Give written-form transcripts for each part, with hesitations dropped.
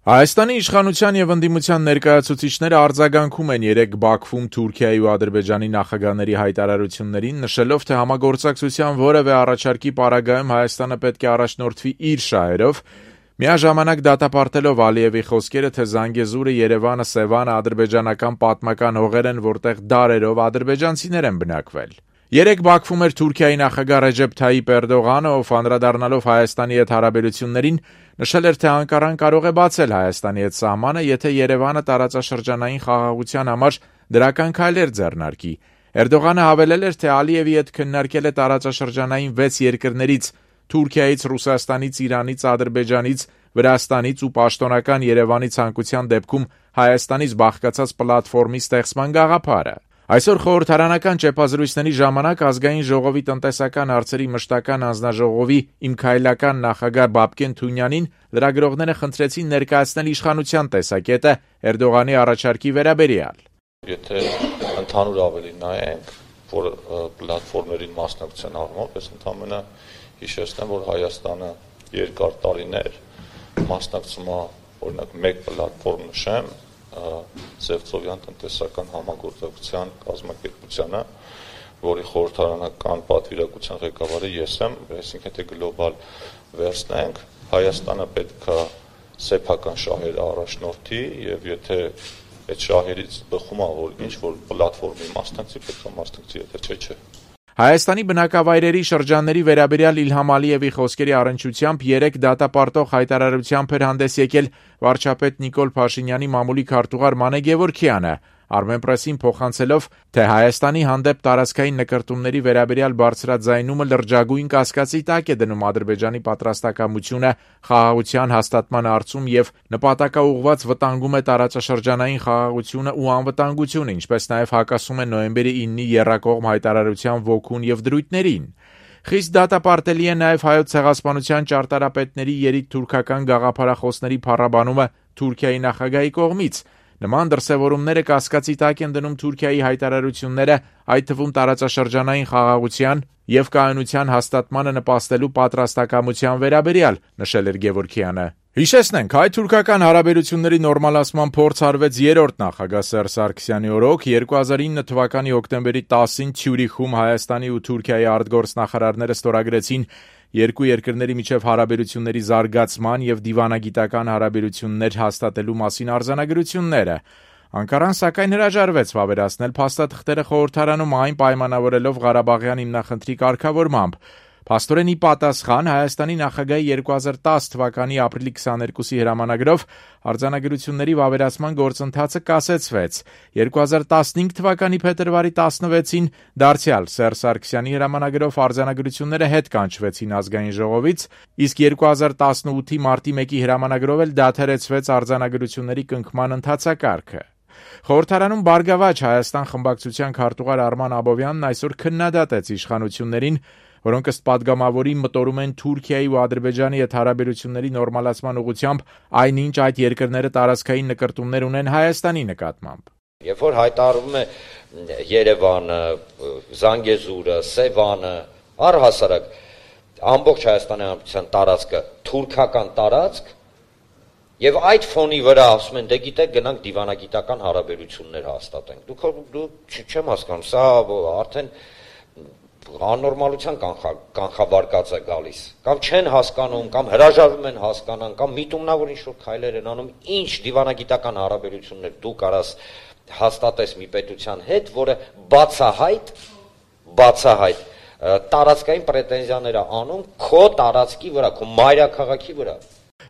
Հայաստանի իշխանության եւ ընդդիմության ներկայացուցիչները արձագանքում են երեկ Բաքվում Թուրքիայի ու Ադրբեջանի նախագահների հայտարարություններին, նշելով, թե համագործակցության որևէ առաջարկի պարագայում Հայաստանը պետք է առաջնորդվի իր շահերով, միաժամանակ դատապարտելով Ալիևի խոսքերը, թե Զանգեզուրը, Երևանը, Սևանը ադրբեջանական պատմական հողեր են, որտեղ դարերով ադրբեջանցիներ են բնակվել։ Երեկ Բաքվում էր Թուրքիայի նախագահ Ռեջեփ Թայիպ Էրդողանը, ով անդրադառնալով Հայաստանի հետ հարաբերություններին, նշել էր, թե Անկարան կարող է բացել Հայաստանի հետ սահմանը, եթե Երևանը տարածաշրջանային խաղաղության համար դրական քայլեր ձեռնարկի։ Էրդողանը հավելել էր, թե Ալիևի հետ քննարկել է տարածաշրջանային 6 երկրներից՝ Թուրքիայից, Ռուսաստանից, Իրանից, Ադրբեջանից, Վրաստանից ու պաշտոնական Երևանի ցանկության դեպքում Հայաստանից բաղկացած պլատֆորմի ստեղծման գաղափարը։ Այսօր խորհրդարանական ճեպազրույցների ժամանակ Ազգային ժողովի տնտեսական հարցերի մշտական հանձնաժողովի իմ քայլական նախագահ Բաբկեն Թունյանին լրագրողները խնդրեցին ներկայացնել իշխանության տեսակետը Էրդողանի առաջարկի վերաբերյալ։ Եթե ընդհանուր ավելի նայենք, որ պլատֆորմերին մասնակցության առումով, ես ընդհանրապես հիշեցնեմ, որ Հայաստանը երկար տարիներ մասնակցում է, օրինակ, մեկ պլատֆորմ նշեմ, Սևծովյան տնտեսական համագործակցության կազմակերպությանը, որի խորհրդարանական պատվիրակության ղեկավարը ես եմ, այսինքն եթե գլոբալ վերցնենք, Հայաստանը պետք է սեփական շահերը առաջնորդի եւ եթե այդ շահերից բխում է, որ ինչ որ պլատֆորմի մասնակցի, պետք է մասնակցի, եթե չէ։ Հայաստանի բնակավայրերի շրջանների վերաբերյալ Իլհամ Ալիևի խոսքերի առնչությամբ երեկ դատապարտող հայտարարությամբ էր հանդես եկել վարչապետ Նիկոլ Փաշինյանի մամուլի քարտուղար Մանե Գևորգյանը, Armenpress-ին փոխանցելով, թե Հայաստանի հանդեպ տարածքային նկրտումների վերաբերյալ բարձրաձայնումը լրջագույն կասկածի տակ է դնում Ադրբեջանի պատրաստակամությունը խաղաղության հաստատման հարցում եւ նպատակաուղղված վտանգում է տարածաշրջանային խաղաղությունը ու անվտանգությունը, ինչպես նաեւ հակասում է նոյեմբերի 9-ի եռակողմ հայտարարության ոգուն եւ դրույթներին։ Խիստ դատապարտելի է նաեւ հայոց ցեղասպանության ճարտարապետների երիտթուրքական գաղափարախոսների փառաբանումը Թուրքիայի նախագահի կողմից։ Նման դրսևորումները կասկածի տակ են դնում Թուրքիայի հայտարարությունները, այդ թվում տարածաշրջանային խաղաղության եւ կայունության հաստատմանը նպաստելու պատրաստակամության վերաբերյալ, նշել էր Գևորգյանը։ Հիշեցնենք, հայ-թուրքական հարաբերությունների նորմալացման փորձ արվեց երրորդ նախագահ Սերժ Սարգսյանի օրոք 2009 թվականի հոկտեմբերի 10-ին Ցյուրիխում Հայաստանի ու Թուրքիայի արտգործնախարարները ստորագրեցին երկու երկրների միջև հարաբերությունների զարգացման եւ դիվանագիտական հարաբերություններ հաստատելու մասին արձանագրությունները։ Անկարան սակայն հրաժարվեց վավերացնել փաստաթղթերը խորհրդարանում, այն պայմանավորելով Ղարաբաղյան հիմնախնդրի կարգավորմամբ։ Փաստորեն ի պատասխան Հայաստանի նախագահի 2010 թվականի ապրիլի 22-ի հրամանագրով արձանագրությունների վավերացման գործընթացը կասեցվեց։ 2015 թվականի փետրվարի 16-ին դարձյալ Սերժ Սարգսյանի հրամանագրով արձանագրությունները հետ կանչվեցին Ազգային ժողովից, իսկ 2018-ի մարտի 1-ի հրամանագրով էլ դադարեցվեց արձանագրությունների կնքման ընթացակարգը։ Խորհրդարանում Բարգավաճ Հայաստան խմբակցության քարտուղար Արման Աբովյանն այսօր քննադատեց իշխանություններին, որոնք ըստ падգամավորի մտորում են Թուրքիայի ու Ադրբեջանի հետ հարաբերությունների նորմալացման ուղղությամբ, այնինչ այդ երկրները տարածքային նկրտումներ ունեն Հայաստանի նկատմամբ։ Երբ որ հայտարարվում է Երևանը, Զանգեզուրը, Սևանը, առհասարակ ամբողջ Հայաստանի Հանրապետության տարածքը թուրքական տարածք, եւ այդ ֆոնի վրա ասում են, դե գիտեք, գնանք դիվանագիտական հարաբերություններ հաստատենք։ Դուք չեմ հասկանում, սա արդեն աննորմալության կանխավարկած է գալիս, կամ չեն հասկանում, կամ հրաժարվում են հասկանան, կամ միտումնավոր ինչ-որ քայլեր են անում, ինչ դիվանագիտական հարաբերություններ դու կարաս հաստատես մի պետության հետ, որը բացահայտ տարածքային պրետենզիաներ է անում քո տարածքի վրա, քո մայրաքաղաքի վրա։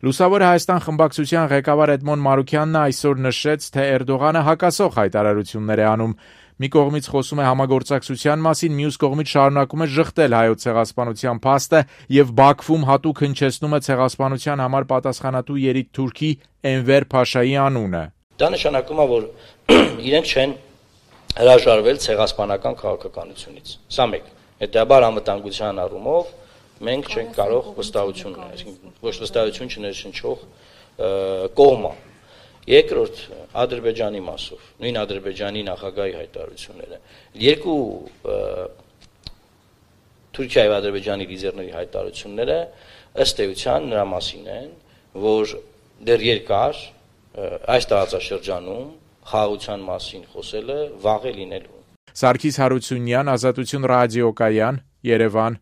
Լուսավոր Հայաստան խմբակցության ղեկավար Էդմոն Մարուքյանն այսօր նշեց, թե Էրդողանը հակասող հայտարարություններ է անում։ Մի կողմից խոսում է համագործակցության մասին, մյուս կողմից շարունակում է ժխտել հայոց ցեղասպանության փաստը եւ Բաքվում հատուկ հնչեցնում է ցեղասպանության համար պատասխանատու երիտթուրքի Էնվեր Փաշայի անունը։ Դա նշանակում է, որ իրենք չեն հրաժարվել ցեղասպանական քաղաքականությունից։ Սա մեկ։ Հետաբար անվտանգության առումով մենք չենք կարող վստահություն ունենալ, այսինքն ոչ վստահություն չներշնչող կողմը։ Երկրորդ Ադրբեջանի մասով, նույն Ադրբեջանի նախագահի հայտարարությունները, երկու Թուրքիայի ու Ադրբեջանի լիդերների հայտարարությունները ըստ էության նրա մասին են, որ դեռ երկար այս տարածաշրջանում խաղաղության մասին խոսելը վաղ է լինելու։ Սարգիս Հարությունյան, Ազատություն ռադիոկայան, Երևան։